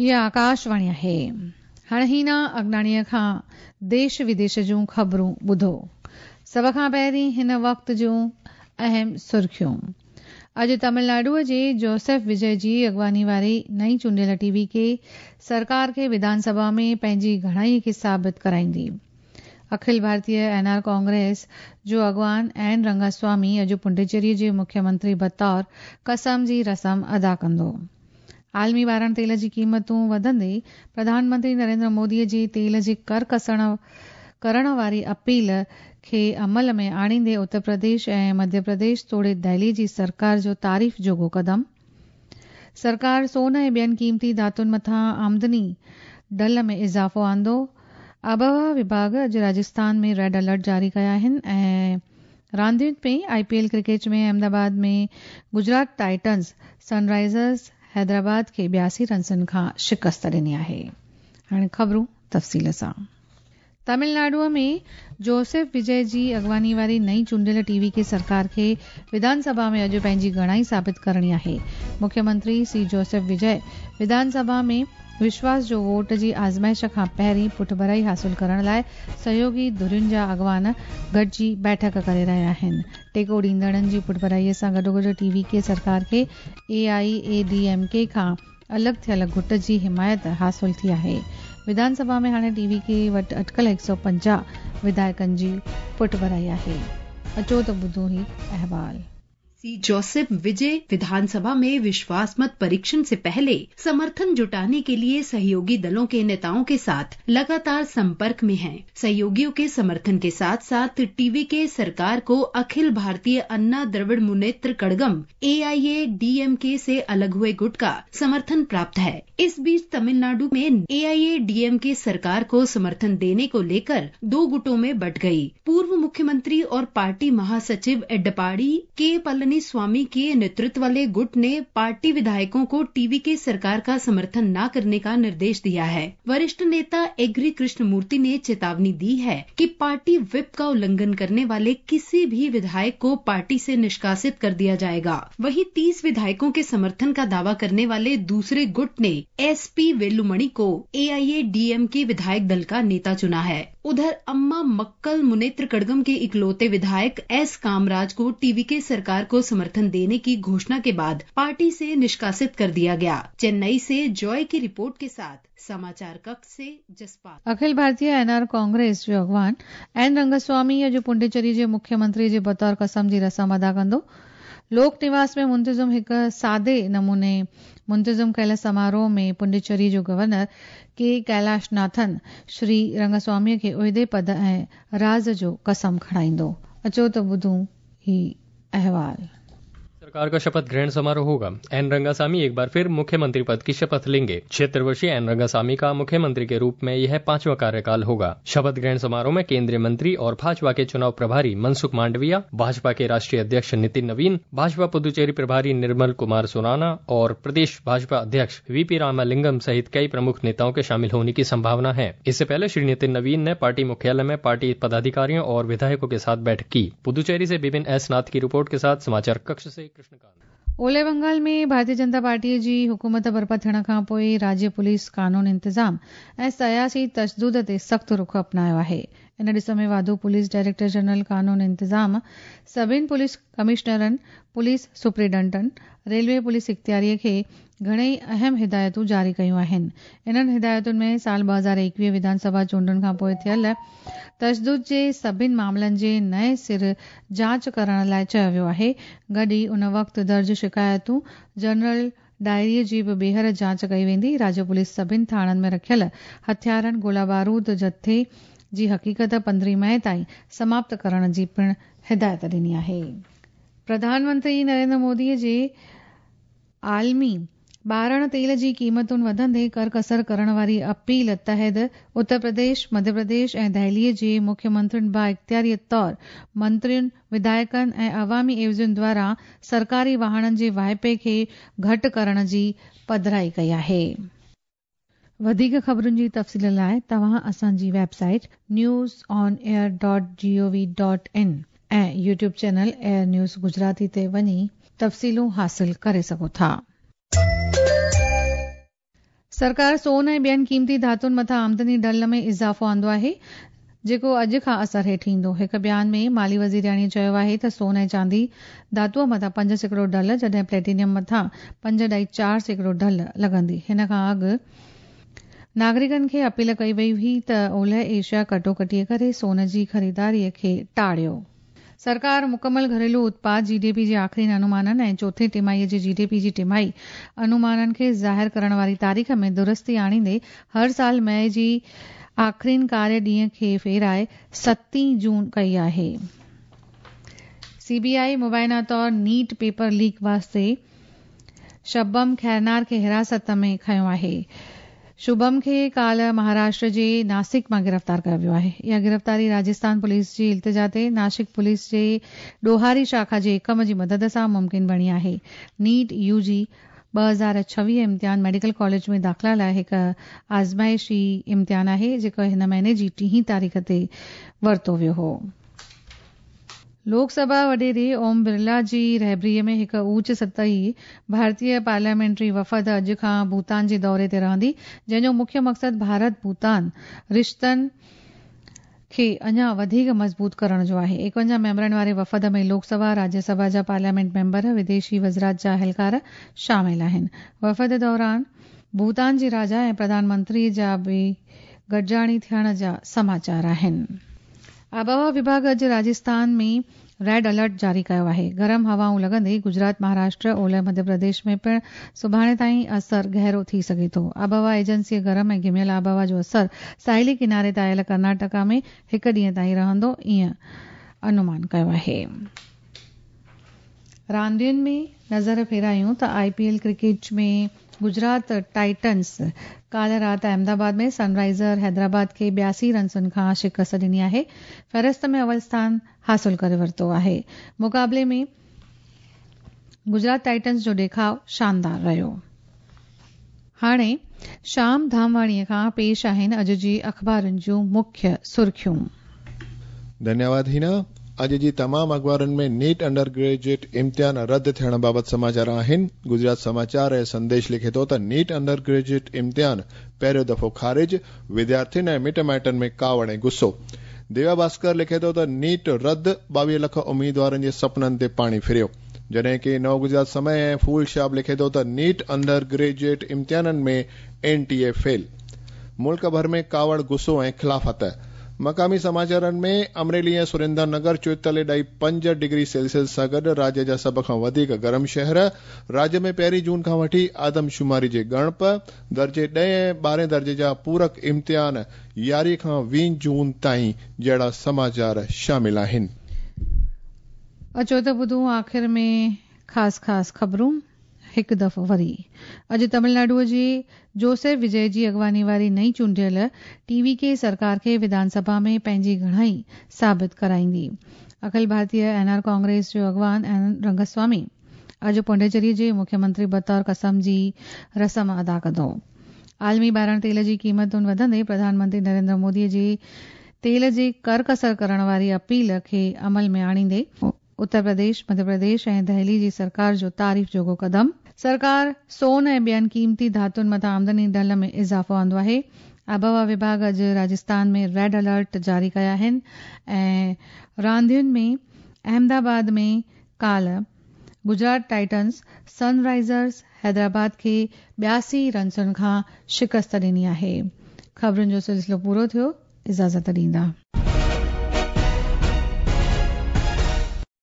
هيء آڪاشواڻي آهي. هاڻي هينا اگناڻيء کان ديش وديش جون خبرون ٻڌو. سڀ کان پهرين هن وقت جون اهم سرخيون. اڄ تامل ناڊوء جي جوسيف وجي جي اڳواڻي واري نئين چونڊيل ٽي وي ڪي سرڪار کي وڌان سڀا ۾ پنهنجي گهڻائي کي ثابت ڪرائيندي. اکل ڀارتيه اين آر ڪانگريس جو اڳواڻ اين رنگاسوامي اڄ پڊوچيري جي مکيه منتري بطور قسم جي رسم ادا ڪندو. عالمي ٻارڻ تيل جي قيمتون وڌندي پرڌان منتري نريندر مودي جي تيل جي ڪر ڪسڻ ڪرڻ واري اپيل کي عمل ۾ آڻيندي اتر پرديش ۽ مڌيه پرديش توڙي دهلي جي سرڪار جو تعريف جوڳو قدم. سرڪار سون ۽ ٻين قيمتي ڌاتن مٿان آمدني ڍل ۾ اضافو آندو. آبهوا وڀاڳ اڄ راجسٿان ۾ ريڊ الرٽ جاري ڪيا آهن ۽ راندين ۾ I P L cricket ۾ Ahmedabad ۾ Gujarat Titans Sunrisers Hyderabad کي 82 رنسن کان شڪست ڏني آهي. هاڻي خبرون تفصيل سان. تامل ناڊوء ۾ جوسيف وجي جي اڳواڻي واري نئين چونڊيل ٽي وي ڪي سرڪار کي وڌان سڀا ۾ اڄ پنهنجي گهڻائي ثابت ڪرڻي آهي. مکيه منتري سي جوسيف وجي وڌان سڀا ۾ وشواس جو ووٽ جي آزمائش کان پهرين پٺڀرائي حاصل ڪرڻ لاء سهيوڳي ڌرين جا اڳواڻ گڏجي بيٺڪ ڪري رهيا آهن. ٽيڪو ڏيندڙن جي پٺڀرائي سان گڏوگڏ ٽي وي ڪي سرڪار کي A I A D M K کان الڳ ٿيل گهٽ جي حمايت حاصل ٿي آهي. وڌان سڀا ۾ هاڻي ٽي وي ڪي وٽ اٽڪل 150 وڌايڪن جي پٺڀرائي آهي. اچو ته ٻڌون هي احوال. सी जोसेफ विजय विधानसभा में विश्वास मत परीक्षण से पहले समर्थन जुटाने के लिए सहयोगी दलों के नेताओं के साथ लगातार संपर्क में हैं। सहयोगियों के समर्थन के साथ साथ टीवी के सरकार को अखिल भारतीय अन्ना द्रविड़ मुनेत्र कड़गम एआईए डीएमके से अलग हुए गुट का समर्थन प्राप्त है। इस बीच तमिलनाडु में एआईए डीएमके सरकार को समर्थन देने को लेकर दो गुटों में बंट गई। पूर्व मुख्यमंत्री और पार्टी महासचिव एडप्पाडी के पलनीस्वामी के नेतृत्व वाले गुट ने पार्टी विधायकों को टीवी के सरकार का समर्थन न करने का निर्देश दिया है। वरिष्ठ नेता एग्री कृष्णमूर्ति ने चेतावनी दी है कि पार्टी व्हिप का उल्लंघन करने वाले किसी भी विधायक को पार्टी से निष्कासित कर दिया जाएगा। वहीं 30 विधायकों के समर्थन का दावा करने वाले दूसरे गुट ने एसपी वेलुमणि को एआईए डीएमके विधायक दल का नेता चुना है। उधर अम्मा मक्कल मुनेत्र कड़गम के इकलौते विधायक एस कामराज को टीवीके सरकार को समर्थन देने की घोषणा के बाद पार्टी से निष्कासित कर दिया गया। चेन्नई से जॉय की रिपोर्ट के साथ समाचार कक्ष से जसपाल। अखिल भारतीय एनआर कांग्रेस जो अॻवान एन रंगस्वामी अॼु पुडुचेरी जे मुख्यमंत्री जे बतौर कसम जी रस्म अदा कंदो। लोक निवास में मुंतज़िम हिकु सादे नमूने मुंतज़िम कयल समारोह में पुडुचेरी जो गवर्नर के कैलाशनाथन श्री रंगस्वामीअ खे उहिदे पद ऐं राज़ जो कसम खणाईंदो। अचो त ॿुधूं ही अहवाल। सरकार का शपथ ग्रहण समारोह होगा। एन रंगासामी एक बार फिर मुख्यमंत्री पद की शपथ लेंगे। 76 वर्षीय एन रंगासामी का मुख्यमंत्री के रूप में यह पांचवा कार्यकाल होगा। शपथ ग्रहण समारोह में केंद्रीय मंत्री और भाजपा के चुनाव प्रभारी मनसुख मांडविया, भाजपा के राष्ट्रीय अध्यक्ष नितिन नवीन, भाजपा पुदुचेरी प्रभारी निर्मल कुमार सुराना और प्रदेश भाजपा अध्यक्ष वीपी रामालिंगम सहित कई प्रमुख नेताओं के शामिल होने की संभावना है। इससे पहले श्री नितिन नवीन ने पार्टी मुख्यालय में पार्टी पदाधिकारियों और विधायकों के साथ बैठक की। पुदुचेरी से विपिन एस नाथ की रिपोर्ट के साथ समाचार कक्ष से कृष्णकांत। ओले बंगाल में भारतीय जनता पार्टीअ जी हुकूमत बर्पा थियण खां पोइ राज्य पुलिस कानून इंतिज़ाम ऐं सियासी तशदुद ते सख़्तु रुख अपनायो आहे। इन ॾिस में वाधू पुलिस डायरेक्टर जनरल कानून इंतिज़ाम सभिनी पुलिस कमिश्नरनि, पुलिस सुप्रिंटेंडेंटनि, रेलवे पुलिस इख़्तियारीअ खे घणेई अहम हिदायतूं जारी कयूं आहिनि। इन्हनि हिदायतुनि में साल 2021 विधानसभा चूंडुनि खां पोइ थियल तशदुद जे सभिनी मामलनि जे नए सिर जांच करण लाइ चयो वियो आहे। गॾु ई उन वक़्तु दर्ज शिकायतूं जनरल डायरीअ जी बि ॿीहर जांच कई वेंदी। राज्य पुलिस सभिनी थाणनि में रखियल हथियारनि, गोला बारूद जथे जी हक़ीक़त 15 मई ताईं समाप्त करण जी पिणु हिदायत ॾिनी आहे। प्रधानमंत्री नरेंद्र मोदीअ जे आलमी ॿारण तेल जी क़ीमतुनि वधंदे कर कसर करण वारी अपील तहत उत्तर प्रदेश, मध्य प्रदेश ऐं दिल्लीअ जे मुख्यमंत्रियुनि बाइख़्तियारीअ तौर मंत्रियुनि, विधायकनि ऐं अवामी एवज़ियुनि द्वारा सरकारी वाहणनि जे वाहिपे खे घटि करण जी पधराई कई आहे। वधीक ख़बरुनि जी तफ़सील लाइ तव्हां असांजी वेबसाइट newsonair.gov.in ऐं YouTube channel air news Gujarati ते वञी तफ़सीलूं हासिल करे सघो था। सरकार सोन ऐं ॿियनि क़ीमती धातुनि मथां आमदनी ढल में इज़ाफ़ो आंदो आहे, जेको अॼु खां असर हेठि ईंदो। हिकु बयान में माली वज़ीरियाणी चयो आहे त सोन ऐं चांदी धातुअ मथां 5% ढल, जॾहिं प्लेटिनियम मथां 5.4% ढल लॻंदी। हिन खां अॻु नागरिकनि खे अपील कई वई हुई त ओलह एशिया कटोकटीअ करे सोन जी ख़रीदारीअ खे टाळियो। सरकार मुकमल घरेलू उत्पाद जीडीपी जे आख़िरी अनुमाननि ऐं चोथें टिमाहीअ जे जीडीपी जी टिमाही अनुमाननि खे ज़ाहिर करण वारी तारीख़ में दुरुस्ती आणींदे हर साल मई जी आख़िरीन कार्य ॾींहं खे फेराए 7 जून कई आहे। सीबीआई मुबैना तौर नीट पेपर लीक वास्ते शबम खैरनार खे हिरासत में खयो आहे। शुभम खे काल्ह महाराष्ट्र जे नासिक मां गिरफ़्तार कयो वियो आहे। इहा गिरफ़्तारी राजस्थान पुलिस जी इल्तिजा ते नासिक पुलिस जे ॾोहारी शाखा जे एकम जी मदद सां मुमकिन बणी आहे। नीट यूजी 2026 इम्तिहान मेडिकल कॉलेज में दाख़िला लाइ हिकु आज़माइशी इम्तिहान आहे, जेको हिन महीने जी 3 तारीख़ ते वरितो वियो हो। लोकसभा वॾेरे ओम बिरला जी रहबरीअ में हिकु ऊच सतही भारतीय पार्लियामेंटरी वफ़द अॼु खां भूटान जे दौरे ते रहंदी, जंहिंजो मुख्य मक़सदु भारत भूटान रिश्तनि खे अञा वधीक मज़बूत करण जो आहे। 51 मेंबरनि वारे वफ़द में लोकसभा, राज्यसभा जा पार्लियामेंट मेंबर, विदेशी वज़ारत जा अहलकार शामिल आहिनि। वफ़द दौरान भूटान जे राजा ऐं प्रधानमंत्री जा बि गॾिजाणी थियण जा समाचार आहिनि। आबहवा विभाग अॼु राजस्थान में रेड अलर्ट जारी कयो आहे। गरम हवाऊं लॻंदे गुजरात, महाराष्ट्र, ओलह मध्य प्रदेश में पिणु सुभाणे ताईं असर गहरो थी सघे थो। आबहवा एजेंसीअ गरम ऐं घिमियल आबहवा जो असर साहिली किनारे ते आयल कर्नाटका में हिकु ॾींहं ताईं रहंदो, ईअं अनुमान कयो आहे। रांदियुनि में नज़र फेरायूं त आईपीएल क्रिकेट में गुजरात टाइटन्स काल्ह राति अहमदाबाद में सनराइज़र हैदराबाद खे 82 रनसुनि खां शिकस्त ॾिनी आहे। फ़हरिस्त में अव्वल स्थान हासिल करे वरितो आहे। मुक़ाबले में गुजरात टाइटन्स जो ॾेखाव शानदार रहियो। हाणे शाम धामवाणीअ खां पेश आहिनि अॼु जी अख़बारुनि जूं मुख्य सुर्खियूं। धन्यवाद हिना। अॼु जी तमाम अख़बारुनि में नीट अंडर ग्रेजुएट इम्तिहान रद्द थियण बाबति समाचार आहिनि। गुजरात समाचार ऐं संदेश लिखे थो त नीट अंडर ग्रेजुएट इम्तिहान पहिरियों दफ़ो ख़ारिज, विद्यार्थियुनि ऐं मिट माइटनि में कावड़ ऐं गुस्सो। देवा भास्कर लिखे थो त नीट रद्द, 22 लख उम्मीदवारनि जे सपननि ते पाणी फिरियो। जॾहिं की नव गुजरात समय ऐं फूल शाब लिखे थो त नीट अंडर ग्रेजुएट इम्तिहाननि में एनटीए फेल। मुल्क भर में कावड़, गुस्सो ऐं ख़िलाफ़त। मक़ामी समाचारनि में अमरेली ऐं सुरेंद्र नगर 44.5 डिग्री सेल्सियस सां गॾु राज्य जा सभ खां वधीक गरम शहर। राज्य में 1 जून खां वठी आदमशुमारी जे ॻणप, दर्जे 10 ऐं 12 दर्जे जा पूरक इम्तिहान 11 खां 20 जून ताईं जहिड़ा समाचार शामिल आहिनि। अचो त ॿुधूं आख़िर में ख़ासि ख़ासि ख़बरूं हिकु दफ़ो वरी। अॼु तमिलनाडुअ जे जोसेफ विजय जी अॻवानी वारी नई चूंडियल टीवीके सरकार खे विधानसभा में पंहिंजी घणाई साबित कराईंदी। अखिल भारतीय एनआर कांग्रेस जो अॻवान एन रंगस्वामी अॼु पौंडीचेरी जे मुख्यमंत्री बतौर कसम जी रस्म अदा कंदो। आलमी ॿारण तेल जी क़ीमतुनि वधंदे प्रधानमंत्री नरेंद्र मोदी जी तेल जे कर कसर करण वारी अपील खे अमल में आणींदे उत्तर प्रदेश, मध्य प्रदेश ऐं दिल्ली जी सरकार जो तारीफ़ जोॻो कदम। सरकार सोन ऐं ॿियनि क़ीमती धातुनि मथां आमदनी ढल में इज़ाफ़ो आंदो आहे। आबहवा विभाग अॼु राजस्थान में रेड अलर्ट जारी कया आहिनि ऐं रांदियुनि में अहमदाबाद में काल्ह गुजरात टाइटन्स सनराइज़र्स हैदराबाद खे 82 रनसुनि खां शिकस्त ॾिनी आहे। ख़बरुनि जो सिलसिलो पूरो थियो। इजाज़त ॾींदा।